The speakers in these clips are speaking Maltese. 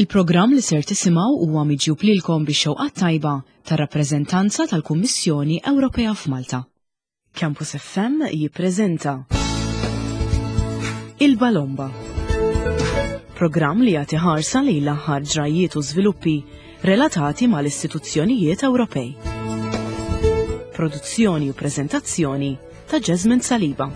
Il-programm li ser tisimgħu huwa miġjub lilkom bix-xewqat tajba tar-rappreżentanza tal-Kummissjoni Ewropea f'Malta. Campus FM jippreżenta Il-Balomba. Programm li jagħti ħarsa lejn l-aħħar ġrajjiet u żviluppi relatati mal-istituzzjonijiet Ewropej. Produzzjoni u preżentazzjoni ta' Jasmine Saliba.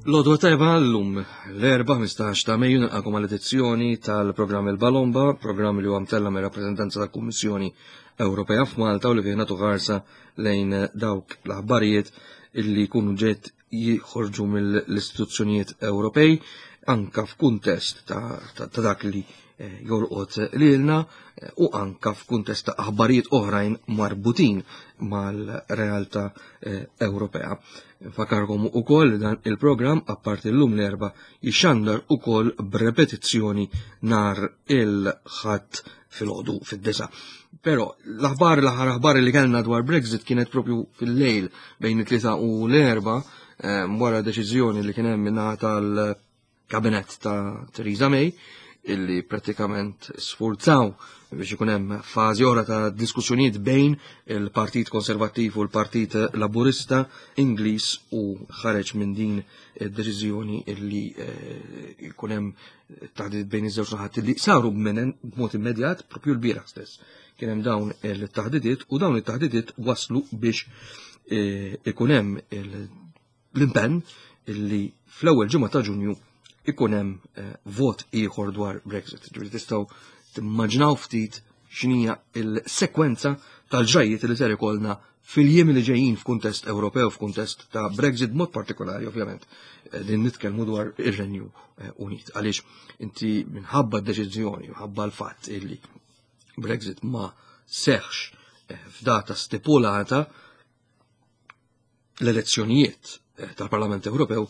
L-odwa tajba l-lum l-erba 15 ta' Mejju nilqakom għal edizzjoni tal-programm Il-Balomba, programm li huwa mtella mir rappreżentanza tal-Kummissjoni Ewropea f'Malta u li fih nagħtu ħarsa lejn dawk l-aħbarijiet illi jkunu ġiet jħorġu mill-istituzzjonijiet Ewropej anka f'kuntest ta', ta, ta dak li eh, jolqot lilna eh, u anka f'kuntest ta' aħbarijiet oħrajn marbutin mal-realtà eh, Ewropea. Nfakarkom ukoll dan il-programm apparti llum l-erba' jixxandar ukoll b'repetizzjoni nar il-ħadd filgħodu fid-disa. Però l-aħbar l-aħħar aħbar li kellna dwar Brexit kienet propju fil-lejl bejn it-tlieta u l-erba ehm, wara deċiżjoni li kien hemm minnaħa tal-kabinett ta' Theresa May illi pratikament sfurzaw biex ikun hemm fażi oħra ta' diskussjonijiet bejn il-Partit Konservattiv u l-Partit Laburista Ingliż u ħareġ minn din id-deċiżjoni illi eh, jkun hemm taħdidiet bejn iż-żewġ naħat li saru b'mod immedjat propju l-bieraħ stess. Kien hemm dawn il-taħdidiet u dawn it-taħdidiet waslu biex e, ikun hemm l-impenn illi fl-ewwel ġimgħa ta' Ġunju ikun hemm e, vot ieħor dwar Brexit. Ġifieri tistgħu timmaġinaw ftit x'inhija il-sekwenza tal-ġrajjiet li ser ikollna fil-jiem li ġejjin f'kuntest Ewropew, f'kuntest ta' Brexit, mod partikolari ovvjament, eh, din nitkellmu dwar ir-Renju eh, Unit. Għaliex inti minħabba d-deċiżjoni, minħabba l-fatt illi Brexit ma seħx eh, f'data stipulata l-elezzjonijiet tal-Parlament Ewropew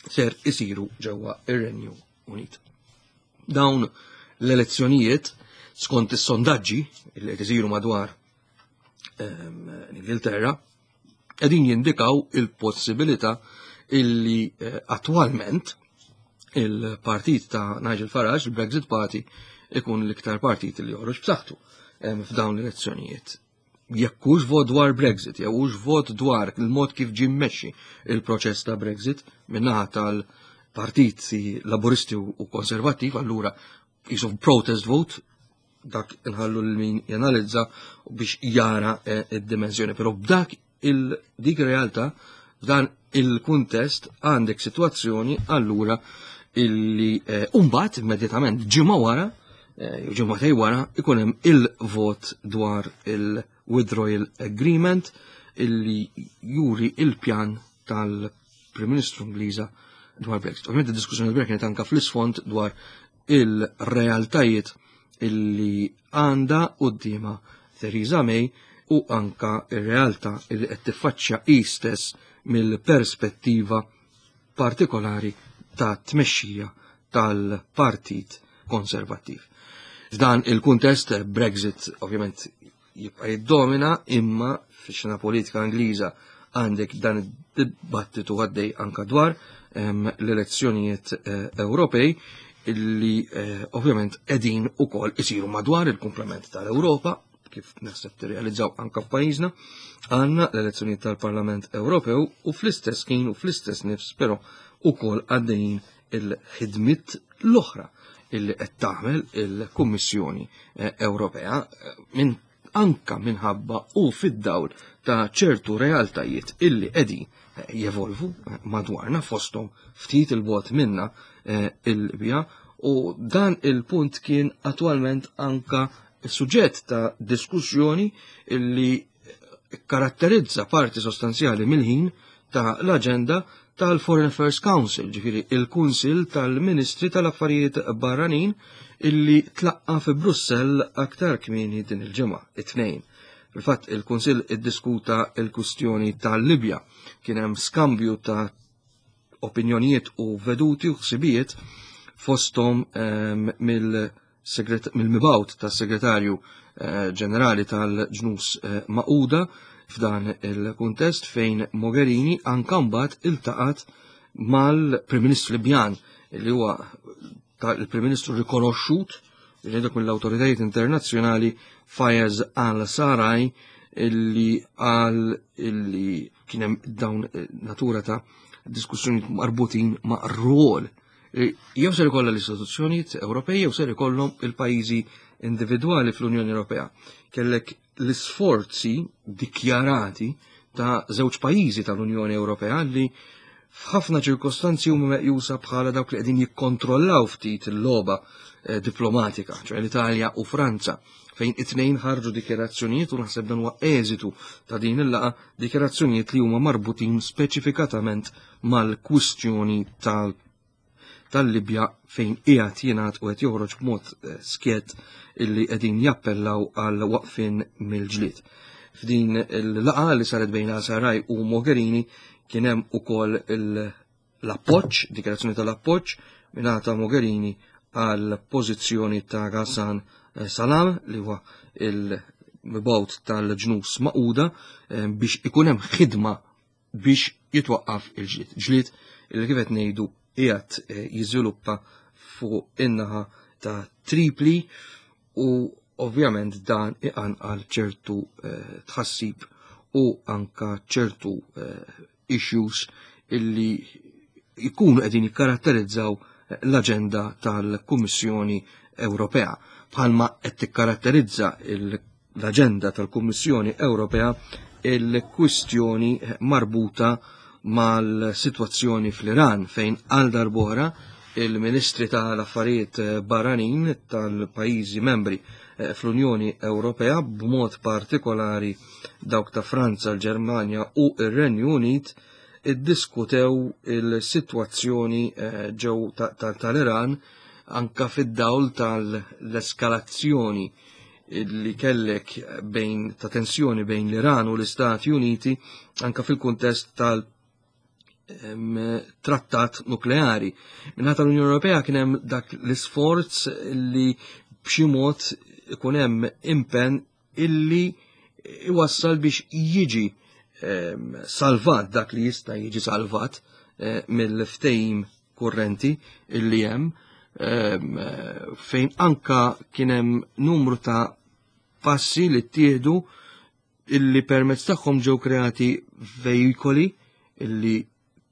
ser isiru ġewwa ir-Renju Unit. Dawn l-elezzjonijiet skont is-sondaġġi li qed isiru madwar ehm, l-Ingilterra qegħdin jindikaw il-possibilità illi eh, attwalment il-partit ta' Nigel Farage, il-Brexit Party, ikun l-iktar partit li joħroġ b'saħħtu ehm, f'dawn l-elezzjonijiet. Jekk hux vot dwar Brexit, jew hux vot dwar il-mod kif ġie mmexxi il-proċess ta' Brexit min-naħa tal-partiti Laburisti u Konservattiv, allura jisu protest vote dak inħallu l min janalizza biex jara eh, id-dimensjoni. Però b'dak il-dik realtà, f'dan il-kuntest għandek situazzjoni allura illi eh, umbat immedjatament ġimgħa wara, eh, ġimgħatej wara, ikun hemm il-vot dwar il-withdrawal agreement illi juri il-pjan tal-Prim Ministru Ingliża dwar Brexit. Ovvjament id-diskussjoni dwar kienet anka fl-isfond dwar il-realtajiet illi għandha quddiemha Theresa May u anka ir-realtà illi qed tiffaċċja hi stess mill-perspettiva partikolari ta' tmexxija tal-Partit Konservattiv. F'dan il-kuntest Brexit ovvjament jibqa' jiddomina imma fix-xena politika Ingliża għandek dan id-dibattitu għaddej anka dwar ehm, l-elezzjonijiet eh, Ewropej illi eh, ovvjament qegħdin ukoll isiru madwar il-komplement tal-Ewropa kif naħseb tirrealizzaw anka f'pajjiżna, għandna l-elezzjonijiet tal-Parlament Ewropew u fl-istess ħin u fl-istess nifs però ukoll għaddejjin il-ħidmiet l-oħra illi qed tagħmel il-Kummissjoni eh, Ewropea eh, minn anka minħabba u fid-dawl ta' ċertu realtajiet illi qegħdin eh, jevolvu madwarna fosthom ftit il-bot minna il-Libja u dan il-punt kien attwalment anka suġġett ta' diskussjoni illi karatterizza parti sostanzjali mill-ħin ta' l-aġenda tal-Foreign Affairs Council, ġifiri il-Kunsil tal-Ministri tal-Affarijiet Barranin illi tlaqqa fi Brussell aktar kmieni din il-ġimgħa, it-tnejn. Fil-fatt il-Kunsil iddiskuta il-kwistjoni tal-Libja, kien hemm skambju ta' opinjonijiet u veduti u ħsibijiet fosthom ehm, mill- mill-mibgħut tas-Segretarju eh, Ġenerali tal-Ġnus eh, Magħquda f'dan il-kuntest fejn Mogherini anka mbagħad iltaqat mal-Prim Ministru Libjan li huwa il-Prim Ministru rikonoxxut li dak mill-awtoritajiet internazzjonali Fayez al-Saraj illi qal illi kien hemm dawn eh, natura ta' diskussjoni marbutin ma' rwol jew ser ikollha l-istituzzjonijiet Ewropej jew ser ikollhom il-pajjiżi individwali fl-Unjoni Ewropea. Kellek l-isforzi dikjarati ta' żewġ pajjiżi tal-Unjoni Ewropea li f'ħafna ċirkostanzi huma meqjusa bħala dawk li qegħdin jikkontrollaw ftit il-logħba eh, diplomatika, ċoè l-Italja u Franza, fejn it-tnejn ħarġu dikjarazzjonijiet u naħseb dan huwa eżitu ta' din il-laqa dikjarazzjonijiet li huma marbutin speċifikatament mal-kwistjoni tal tal-Libja fejn qiegħed jingħad u qed joħroġ b'mod eh, skjett illi qegħdin jappellaw għal waqfin mill-ġlied. F'din il-laqa li saret bejn Saraj u Mogherini kien hemm ukoll l-appoġġ, dikjarazzjoni tal-appoġġ mingħata Mogherini għal pożizzjoni ta' Ghassan eh, Salam li huwa il-mibgħut tal-ġnus maquda eh, biex ikun hemm ħidma biex jitwaqqaf il-ġlied. Ġlied li kif qed ngħidu qiegħed eh, jiżviluppa fuq in-naħa ta' Tripli u ovvjament dan iqanqal ċertu eh, tħassib u anka ċertu eh, issues illi jkunu qegħdin jikkaratterizzaw l-aġenda tal-Kummissjoni Ewropea. Bħalma qed tikkaratterizza l-aġenda tal-Kummissjoni Ewropea il-kwistjoni marbuta mal-sitwazzjoni fl-Iran fejn għal darbora il-Ministri tal-Affarijiet Barranin tal-pajjiżi membri eh, fl-Unjoni Ewropea b'mod partikolari dawk ta' Franza, l-Ġermanja u ir-Renju Unit iddiskutew il-sitwazzjoni eh, ġew tal-Iran anka fid-dawl tal-eskalazzjoni li kellek bejn ta' tensjoni bejn l-Iran u l-Istati Uniti anka fil-kuntest tal- trattat nukleari. Minħata l-Unjoni Ewropea kien hemm dak l-isforz li b'xi mod ikun hemm impenn illi iwassal biex jiġi salvat dak li jista' jiġi salvat eh, mill-ftehim kurrenti illi hemm fejn anka kien hemm numru ta' passi li ttieħdu illi permezz tagħhom ġew kreati vejikoli illi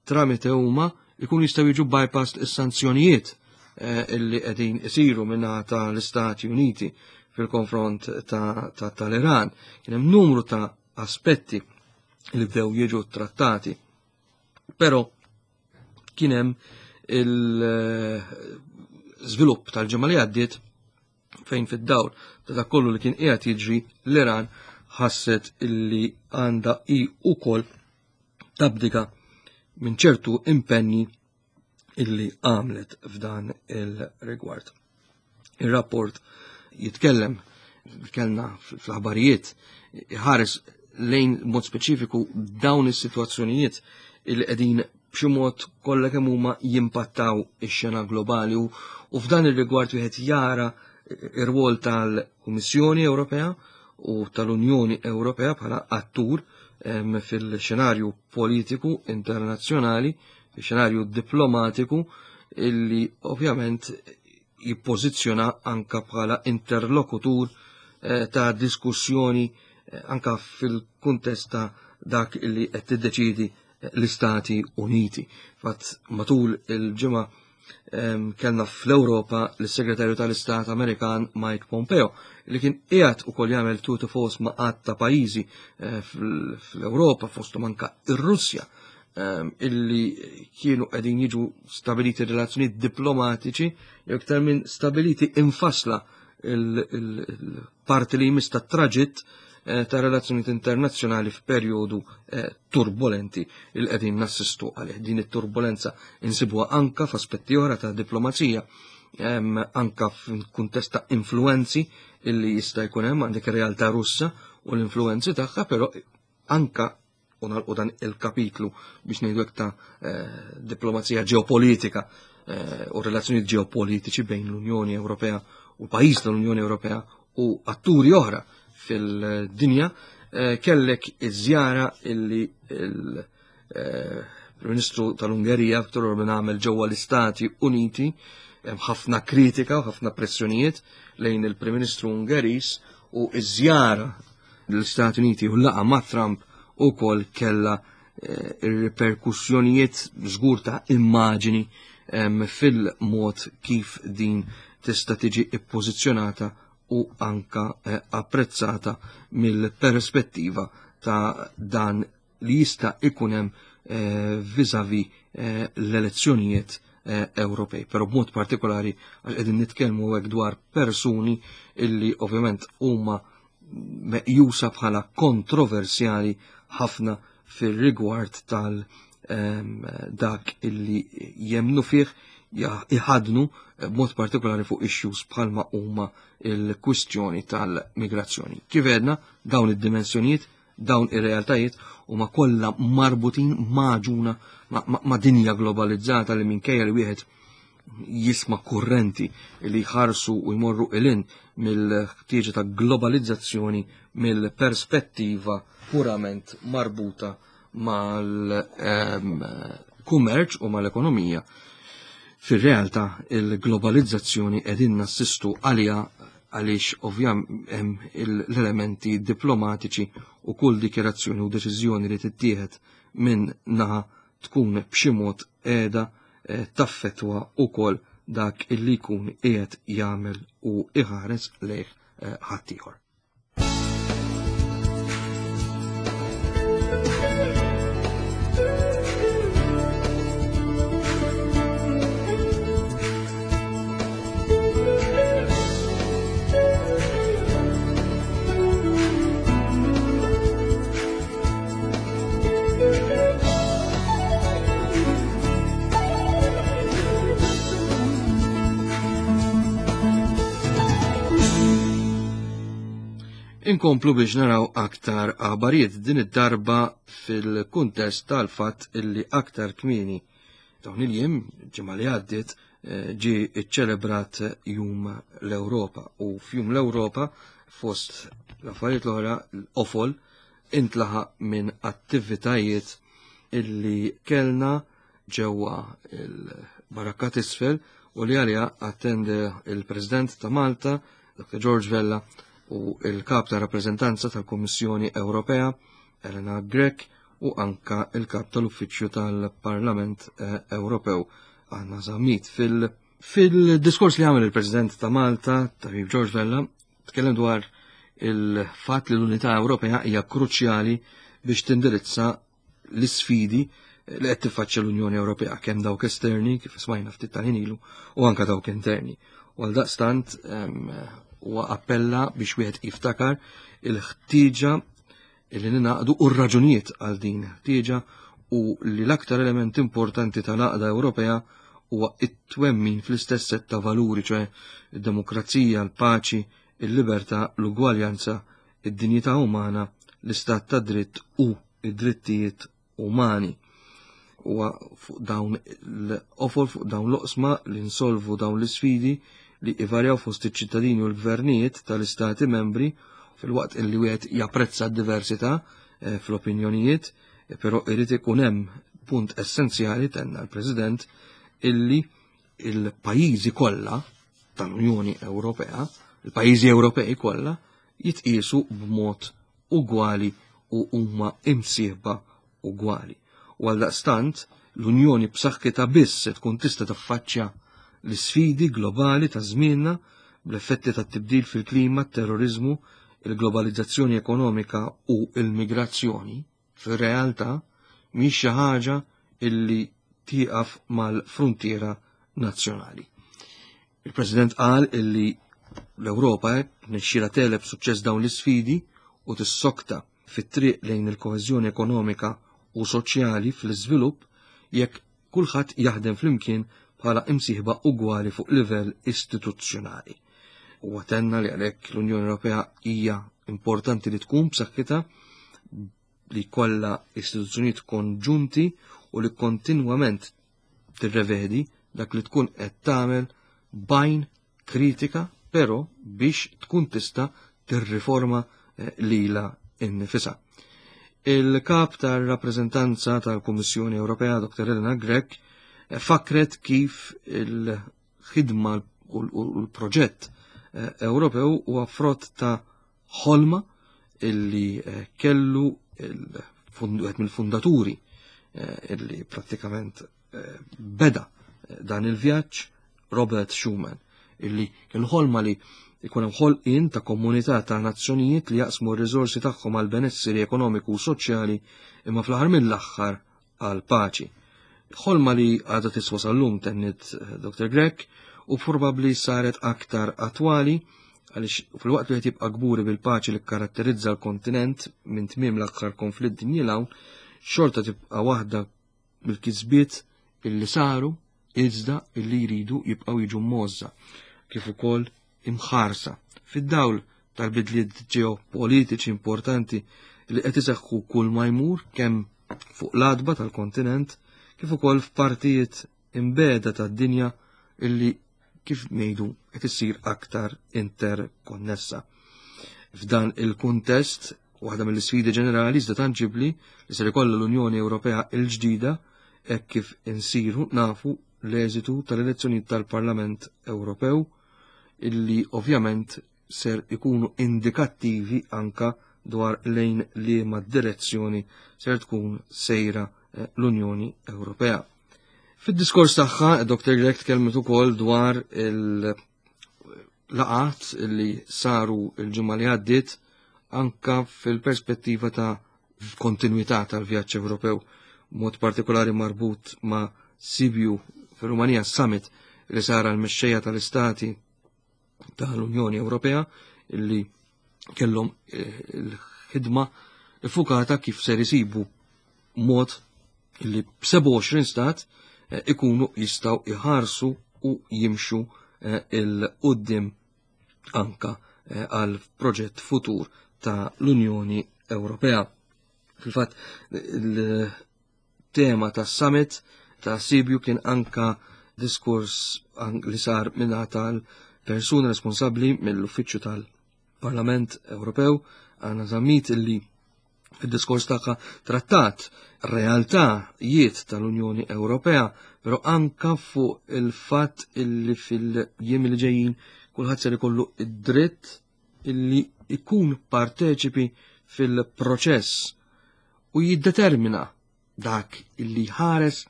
tramite huma jkunu jistgħu jiġu bypassed is-sanzjonijiet eh, illi qegħdin isiru minnaħa tal-Istati Uniti fil-konfront tal-Iran. Kien hemm numru ta' aspetti li bdew jiġu trattati. Però kien hemm il-żvilupp eh, tal-ġimgħa li għaddiet fejn fid-dawl ta' dak kollu li kien qiegħed jiġri l-Iran ħasset illi għandha hi ukoll tabdika minn ċertu impenni illi għamlet f'dan il-rigward. Il-rapport jitkellem, kellna fl-aħbarijiet, ħares lejn mod speċifiku dawn is-sitwazzjonijiet illi qegħdin b'xi mod kollha kemm huma jimpattaw ix-xena globali u f'dan ir-rigward wieħed jara ir-rwol tal-Kummissjoni Ewropea u tal-Unjoni Ewropea bħala attur fil-xenarju politiku internazzjonali, fil-xenarju diplomatiku illi ovvjament jippożizzjona anka bħala interlokutur eh, ta' diskussjoni eh, anka fil-kuntest ta' dak illi qed tiddeċidi l-Istati Uniti. Fatt matul il-ġimgħa kellna fl-Ewropa l-Segretarju tal-Istat Amerikan Mike Pompeo li kien qiegħed ukoll jagħmel tour de force ma' għadd ta' pajjiżi eh, fl-Ewropa fosthom anka ir-Russja illi kienu qegħdin jiġu stabiliti relazzjonijiet diplomatiċi jew iktar minn stabiliti infasla il-parti li jmiss tat-traġitt eh, ta' relazzjonijiet internazzjonali f'perjodu eh, turbolenti il qegħdin nassistu għalih. Din it-turbolenza insibuha anka f'aspetti oħra ta' diplomazija, anka f'kuntest ta' influenzi illi jista' jkun hemm għandek ir-realtà Russa u l-influenzi tagħha, però anka u nagħlqu dan il-kapitlu biex ngħidu ta' eh, diplomazija ġeopolitika eh, u relazzjonijiet ġeopolitiċi bejn l-Unjoni Ewropea u pajjiż tal-Unjoni Ewropea u atturi oħra fil-dinja, eh, kellek iż-żjara illi il-Prim Ministru tal-Ungerija Viktor Orban għamel ġewwa l-Istati Uniti, hemm ħafna kritika u ħafna pressjonijiet lejn il-Prim Ministru Ungeriż u iż-żjara l-Istati Uniti u laqa ma' Trump ukoll kella eh, ir-riperkussjonijiet żgur ta' immaġini fil-mod kif din tista' tiġi ippożizzjonata u anka eh, apprezzata mill-perspettiva ta' dan li jista' ikun hemm eh, vizavi eh, l-elezzjonijiet Ewropej. Però b'mod partikolari għax qegħdin nitkellmu hekk dwar persuni illi ovvjament huma meqjusa bħala kontroversjali ħafna fir-rigward tal ehm, dak illi jemnu fih iħadnu b'mod partikolari fuq issues bħalma huma il-kwistjoni tal-migrazzjoni. Kif għedna, dawn id-dimensjonijiet, dawn ir-realtajiet huma kollha marbutin maġuna ma' dinja globalizzata li minkejja li wieħed jisma' kurrenti li jħarsu u jmorru ilin mill-ħtieġa ta' globalizzazzjoni mill-perspettiva purament marbuta mal-kummerċ u mal-ekonomija. Fir-realtà il-globalizzazzjoni qegħdin nassistu għaliha għaliex ovvjam hemm l-elementi diplomatiċi u kull dikjerazzjoni u deċiżjoni li tittieħed minn naħa tkun b'xi mod qiegħda eh, taffetwa wkoll dak illi jkun qiegħed jagħmel u iħares lejh eh, ħaddieħor. Inkomplu biex naraw aktar aħbarijiet din id-darba fil-kuntest tal-fatt illi aktar kmieni dawn il-jiem ġimgħa li għaddiet eh, ġie iċċelebrat Jum l-Ewropa u f'Jum l-Ewropa fost l-affarijiet l-oħra l-qofol intlaħaq minn attivitajiet illi kellna ġewwa il-Barakka t'isfel u li għaliha attende il-President ta' Malta, Dr. George Vella, u il-kap ta' rappreżentanza tal-Kummissjoni Ewropea, Elena Grech, u anka il-kap tal-Uffiċċju tal-Parlament eh, Ewropew, Anna Zammit. Fil-diskors li għamel il-President ta' Malta, Tabib George Vella, tkellem dwar il-fatt li l-Unità Ewropea hija kruċjali biex tindirizza l-isfidi li qed tiffaċċja l-Unjoni Ewropea kemm dawk esterni kif smajna ftit tal ilu u anka dawk interni. U għal daqstant huwa appella biex wieħed jiftakar il-ħtieġa li ninaqdu u r-raġunijiet għal din ħtieġa u li l-aktar element importanti tal-għaqda Ewropea huwa it-twemmin fl-istess sett ta' valuri, ċoe id-demokrazija, l-paċi, il-libertà, l-ugwaljanza, id-dinjità umana, l-istat ta' dritt u id-drittijiet umani. Huwa fuq dawn l-ofol fuq dawn l-oqsma li nsolvu dawn l-isfidi li ivarjaw fost iċ-ċittadini u l-gvernijiet tal-istati membri fil-waqt illi wieħed japprezza d-diversità eh, fl-opinjonijiet, eh, però irid ikun hemm punt essenzjali tenna l-President illi il-pajjiżi kollha tal-Unjoni Ewropea, il-pajjiżi Ewropej kollha jitqiesu b'mod ugwali u huma imsieħba ugwali. U għaldaqstant l-Unjoni b'saħħitha biss se tkun tista' taffaċċja l-isfidi globali ta' żmienna bl-effetti tat-tibdil fil-klima, terrorizmu, il-globalizzazzjoni ekonomika u l-migrazzjoni, fir-realtà mhix xi ħaġa illi tieqaf mal-fruntiera nazzjonali. Il-President qal illi l-Ewropa nexxiela teleb suċċess dawn l-isfidi u tissokta fit-triq lejn il-koeżjoni ekonomika u soċjali fl-iżvilupp jekk kulħadd jaħdem flimkien bħala imsieħba ugwali fuq livell istituzzjonali. Huwa tenna li għalhekk l-Unjoni Ewropea hija importanti li tkun b'saħħitha li kollha istituzzjonijiet konġunti u li kontinwament tirrevedi dak li tkun qed tagħmel bajn kritika però biex tkun tista' tirriforma eh, lilha innifisha. Il-kap tar-rappreżentanza tal-Kummissjoni Ewropea Dr. Elena Grech eh, fakret kif il-ħidma u l-proġett eh, Ewropew huwa frott ta' ħolma illi eh, kellu wieħed mill-fundaturi illi prattikament beda dan il-vjaġġ Robert Schuman illi kellu ħolma li jkun hemm ħolqien ta' komunità ta' nazzjonijiet li jaqsmu r-riżorsi tagħhom għal benesseri ekonomiku u soċjali imma fl-aħħar mill-aħħar għal paċi. Ħolma li għadha tiswa sal-lum tennit eh, Dr. Grech u probabbli saret aktar attwali għaliex fil-waqt li qed jibqa' kburi bil-paċi li karatterizza l-kontinent minn tmiem l-aħħar konflitt dinji hawn, xorta tibqa' waħda mill-kisbiet illi saru iżda illi jridu jibqgħu jiġu mgħożża kif ukoll imħarsa fid-dawl tal-bidliet ġeopolitiċi importanti li qed iseħħu kull ma jmur kemm fuq l-adba tal-kontinent kif ukoll f'partijiet imbeda tad-dinja illi kif ngħidu qed issir aktar interkonnessa. F'dan il-kuntest, waħda mill-isfidi ġenerali iżda tanġibli li ser ikollha l-Unjoni Ewropea l-ġdida hekk kif insiru nafu l-eżitu tal-elezzjonijiet tal-Parlament Ewropew illi ovvjament ser ikunu indikattivi anka dwar lejn liema direzzjoni ser tkun sejra eh, l-Unjoni Ewropea. Fid-diskors tagħha, Dr. Grech tkellmet ukoll dwar il-laqat li saru il-ġimgħa li għaddiet anka fil-perspettiva ta' kontinuità tal-vjaġġ Ewropew, mod partikolari marbut ma' Sibiu fir-Rumanija Summit li sara l-mexxejja tal-istati tal-Unjoni Ewropea illi kellhom eh, il-ħidma iffukata kif ser isibu mod illi b'27 stat eh, ikunu jistaw iħarsu u jimxu eh, il-qoddim anka għal proġett futur ta' l-Unjoni Ewropea. Fil-fatt, tema tas-summit ta' Sibiu kien anka diskors li sar minna tal-persuna responsabbli mill-Uffiċċju tal-Parlament Ewropew Anna Zammit illi fid-diskors tagħha trattat realtà-jiet tal-Unjoni Ewropea, però anka fuq il-fatt illi fil-jiem li ġejjin kulħadd ser ikollu id-dritt illi ikun parteċipi fil-proċess u jiddetermina dak illi ħares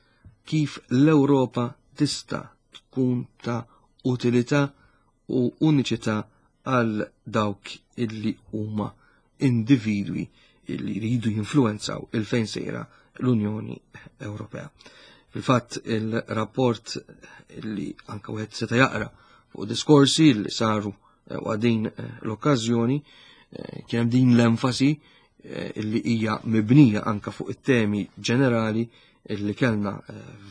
kif l-Ewropa tista' tkun ta' utilità u uniċità għal dawk illi huma individwi illi jridu jinfluenzaw il-fejn sejra l-Unjoni Ewropea. Fil-fatt il-rapport illi anka wieħed seta' jaqra fuq diskorsi li saru eh, u din eh, l-okkażjoni eh, kien hemm din l-enfasi illi hija mibnija anka fuq it-temi ġenerali illi kellna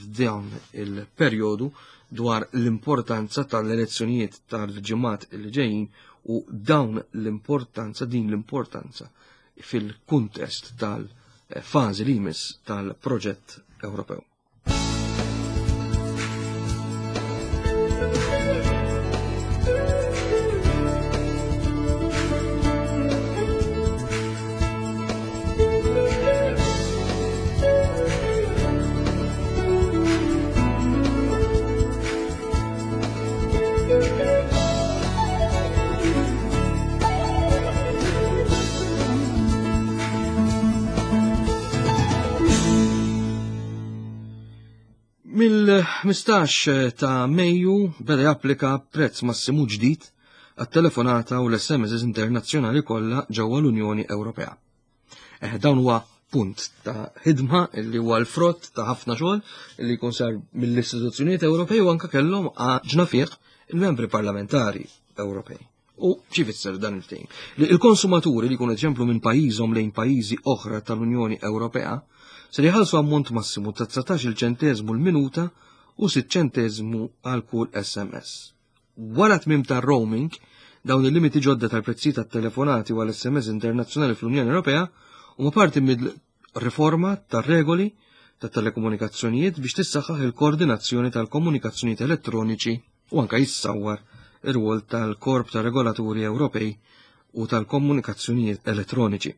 f'dawn il-perjodu dwar l-importanza tal-elezzjonijiet tal-ġimgħat li ġejjin u dawn l-importanza din l-importanza fil-kuntest tal-fażi li jmiss tal-proġett Ewropew. Mill-15 ta' Mejju beda japplika prezz massimu ġdid għat-telefonata u l-SMS internazzjonali kollha ġewwa l-Unjoni Ewropea. Eh, dawn huwa punt ta' ħidma li huwa l-frott ta' ħafna xogħol li jkun sar mill-istituzzjonijiet Ewropej u anke kellhom ġna fih il-membri parlamentari Ewropej. U xi fisser dan il-ftehim? Li il-konsumaturi li jkunu ġemplu minn pajjiżhom lejn pajjiżi oħra tal-Unjoni Ewropea se jħallsu ammont massimu ta' 19 ċenteżmu l-minuta u 6 ċenteżmu għal kull SMS. Wara tmiem tar-roaming, dawn il-limiti ġodda tal-prezzijiet tat-telefonati u għall-SMS internazzjonali fl-Unjoni Ewropea huma parti mill-riforma tar-regoli tat-telekomunikazzjonijiet biex tissaħħaħ il-koordinazzjoni tal-komunikazzjonijiet elettroniċi u anka jissawwar ir-rwol tal-Korp ta' Regolaturi Ewropej u tal-Komunikazzjonijiet Elettroniċi.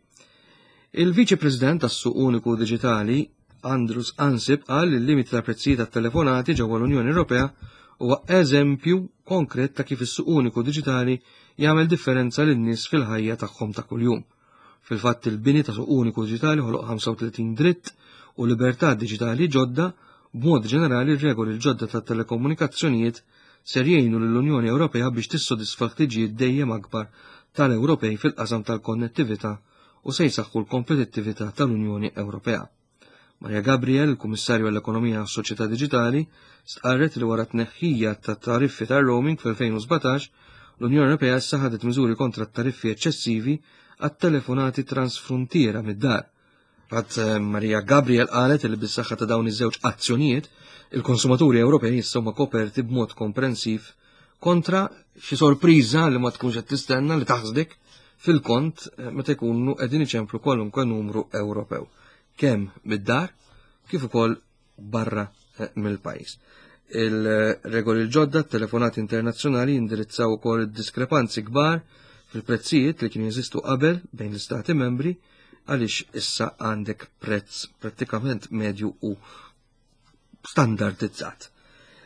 Il-Viċi President tas-Suq Uniku Diġitali, Andrus Ansip, qal li l-limiti ta' prezzijiet tat-telefonati ġewwa l-Unjoni Ewropea huwa eżempju konkret ta' kif is-suq uniku diġitali jagħmel differenza lin-nies fil-ħajja tagħhom ta' kuljum. Fil-fatt il-bini ta' suq uniku diġitali ħoloq 35 dritt u libertà diġitali ġodda, b'mod ġenerali r-regoli l-ġodda tat-telekomunikazzjonijiet ser jgħinu lill-Unjoni Ewropea biex tissodisfa l-ħtiġijiet dejjem akbar tal-Ewropej fil-qasam tal-konnettività u se jsaħħu l-kompetittività tal-Unjoni Ewropea. Maria Gabriel, il-Kummissarju għall-Ekonomija u s-Soċjetà Diġitali, stqarret li wara t-tneħħija ta' tariffi tar-roaming fl-2017, l-Unjoni Ewropea issa ħadet miżuri kontra t-tariffi eċċessivi għat-telefonati transfruntiera mid-dar. Fatt eh, Maria Gabriel qalet li bis-saħħa ta' dawn iż-żewġ azzjonijiet, il-konsumaturi Ewropej issa huma koperti b'mod komprensiv kontra xi sorpriża li ma tkunx qed tistenna li taħsdek fil-kont eh, meta jkunu qegħdin iċemplu kwalunkwe numru Ewropew, kemm mid-dar kif ukoll barra eh, mill-pajjiż. Il-regoli l-ġodda telefonati internazzjonali jindirizzaw ukoll id-diskrepanzi kbar fil-prezzijiet li kienu jeżistu qabel bejn l-istati membri għaliex issa għandek prezz prattikament medju u standardizzat.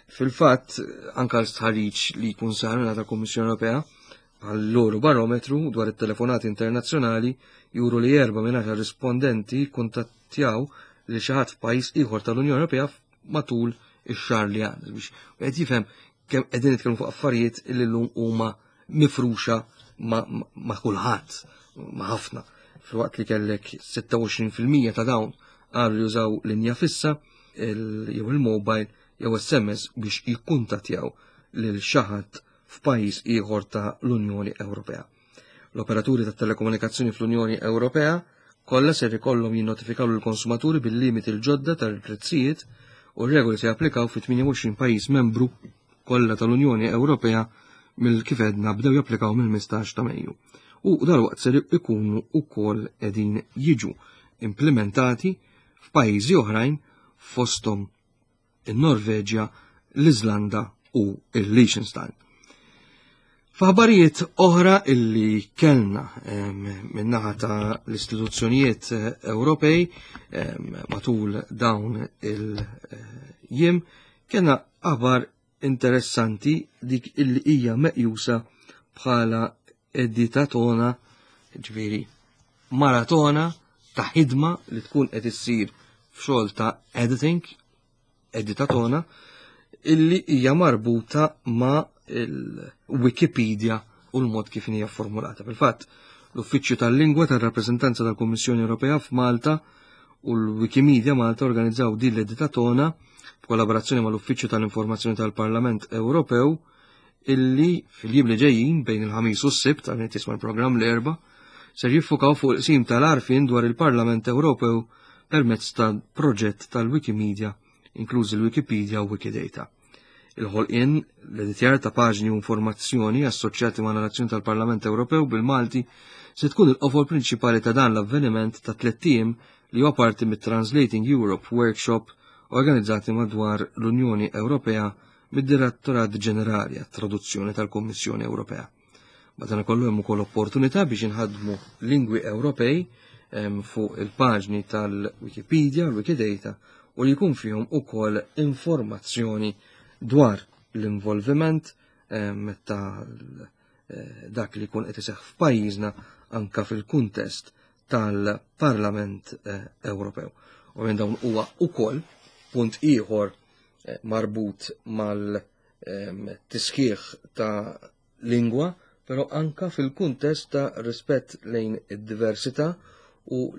Fil-fatt, anka l-stħarriġ li jkun sar minn tal-Kummissjoni Ewropea għall-loro barometru dwar it-telefonati internazzjonali juru li erba' minn rispondenti kuntattjaw li xi ħadd f'pajjiż ieħor tal-Unjoni Ewropea matul ix-xahar li għandna biex qed jifhem kemm qegħdin nitkellmu fuq affarijiet li llum huma mifruxa ma', ma kulħadd, ma' ħafna. Filwaqt li kellek 26% ta' dawn qalu jużaw linja fissa jew il-mobile jew SMS biex jikkuntattjaw lil xi ħadd f'pajjiż ieħor ta' l-Unjoni Ewropea. L-operaturi tat-telekomunikazzjoni fl-Unjoni Ewropea kollha ser ikollhom jinnotifikaw lill-konsumaturi bil-limiti l-ġodda tal-prezzijiet u r-regoli se japplikaw fi 28 pajjiż membru kollha tal-Unjoni Ewropea mill kif għedna bdew japplikaw mill-15 ta' Mejju. U dalwaqt ser ikunu wkoll qegħdin jiġu implementati f'pajjiżi oħrajn fosthom in-Norveġja, l-Iżlanda u l-Liechtenstein. F'aħbarijiet oħra illi kellna min-naħa ta' l-istituzzjonijiet eh, Ewropej matul dawn il-jiem kellna aħbar interessanti dik illi hija meqjusa bħala editatona, ġifieri maratona ta' ħidma li tkun qed issir f'xogħol ta' editing, editatona, illi hija marbuta ma' il-Wikipedia u l-mod kif hija formulata. Fil-fatt, l-Uffiċċju tal-Lingwa tar-Rappreżentanza tal-Kummissjoni Ewropea f'Malta u l-Wikimedia Malta organizzaw din l-editatona b'kollaborazzjoni mal-Uffiċċju tal-Informazzjoni tal-Parlament Ewropew illi fil-jiem li ġejjin bejn il-ħamis u s-sibt għal tisma' l-programm l-erba' ser jiffukaw fuq il-qsim tal-arfin dwar il-Parlament Ewropew permezz ta' proġett tal-Wikimedia, inklużi l-Wikipedia u Wikidata. Il-ħolqien, l-editjar ta' paġni u informazzjoni assoċjati ma' narrazzjoni tal-Parlament Ewropew bil-Malti se tkun il-qofol prinċipali ta' dan l-avveniment ta' tlett ijiem li huwa parti mit-Translating Europe Workshop organizzati madwar l-Unjoni Ewropea mid-Direttorat Ġenerali għat-Traduzzjoni tal-Kummissjoni Ewropea. Madankollu hemm ukoll opportunità biex inħaddmu lingwi Ewropej fuq il-paġni tal-Wikipedia u l-Wikidata u li jkun fihom ukoll informazzjoni dwar l-involviment ta' eh, dak li jkun qed iseħħ f'pajjiżna anka fil-kuntest tal-Parlament eh, Ewropew. U minn dawn huwa ukoll punt ieħor eh, marbut mal-tisħiħ ta' lingwa, però anka fil-kuntest ta' rispett lejn id-diversità u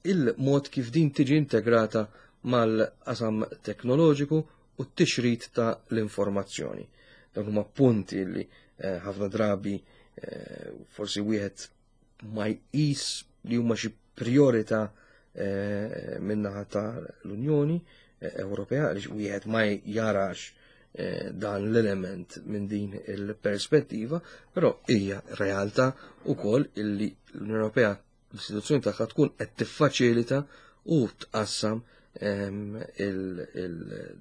il-mod kif din tiġi integrata mal-qasam teknoloġiku u t-tixrid ta' l-informazzjoni. Dawn huma punti li eh, ħafna drabi eh, forsi wieħed ma jqis li huma xi priorità eh, min-naħa ta' l-Unjoni eh, Ewropea għaliex wieħed ma jarax eh, dan l-element minn din il-perspettiva, però hija realtà wkoll illi l-Unjoni Ewropea l-istituzzjoni tagħha tkun qed tiffaċilita u tqassam ehm,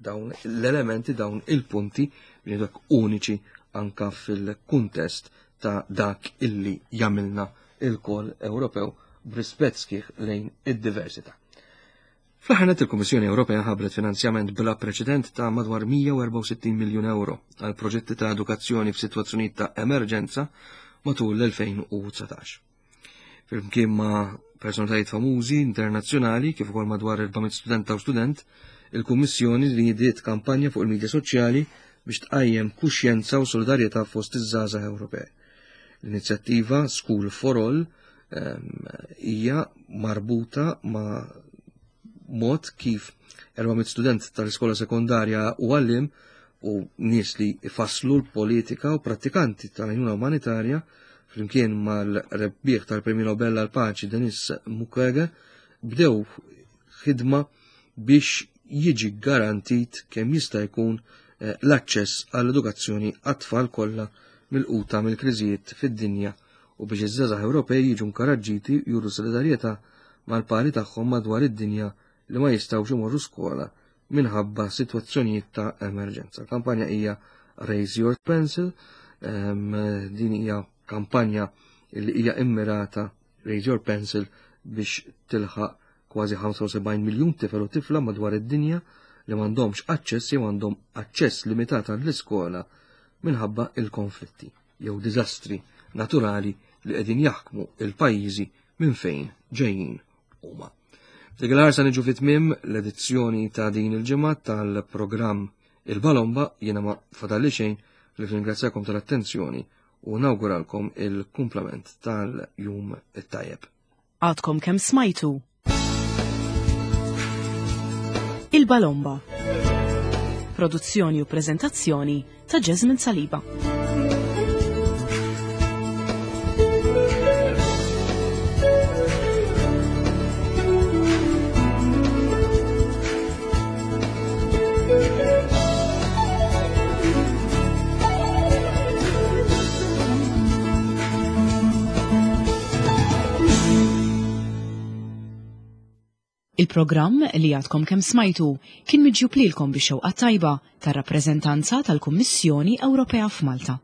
dawn l-elementi dawn il-punti li dak uniċi anka fil-kuntest ta' dak illi jagħmilna il-kol Ewropew b'rispett sħiħ lejn id-diversità. Fl-aħħar nett il-Kummissjoni Ewropea ħabbret finanzjament bla preċedent ta' madwar 164 miljun euro għal proġetti ta' edukazzjoni f'sitwazzjonijiet ta' emerġenza matul l-2019. Flimkien ma' personalitajiet famużi internazzjonali kif ukoll madwar 400 studenta u student, il-Kummissjoni nidiet kampanja fuq il-midja soċjali biex tqajjem kuxjenza u solidarjetà fost iż-żgħażagħ Ewropej. L-inizjattiva School for All hija marbuta ma' mod kif 400 student tal-iskola sekondarja u għallim u nies li ifasslu l-politika u prattikanti tal-għajnuna umanitarja flimkien mal-rebbieħ tal-Premju Nobel għal paċi Denis Mukwege bdew ħidma biex jiġi garantit kemm jista' jkun eh, l-aċċess għall-edukazzjoni għat-tfal kollha milquta mill-kriżijiet fid-dinja u biex iż-żgħażagħ Ewropej jiġu nkoraġġiti juru solidarjetà mal-pari tagħhom madwar id-dinja li ma jistgħux imorru skola minħabba sitwazzjonijiet ta' emerġenza. Kampanja hija Raise Your Pencil, ehm, din hija kampanja li hija immirata Raise Your Pencil biex tilħaq kważi 75 miljun tifel u tifla madwar id-dinja li m'għandhomx aċċess jew għandhom aċċess limitat għall-iskola minħabba il-konflitti jew diżastri naturali li qegħdin jaħkmu il-pajjiżi minn fejn ġejjin huma. F'dik il-ħarsa niġu fi tmiem l-edizzjoni ta' din il-ġimgħa tal-programm Il-Balomba jiena ma fadalli xejn li ringrazzjakom tal-attenzjoni u nawguralkom il-kumplament tal-jum it-tajjeb. Għadkom kemm smajtu Il-Balomba. Produzzjoni u prezentazzjoni ta' Jasmine Saliba. Il-programm li għadkom kemm smajtu kien miġjub lilkom bix-xewqa tajba tar-rappreżentanza tal-Kummissjoni Ewropea f'Malta.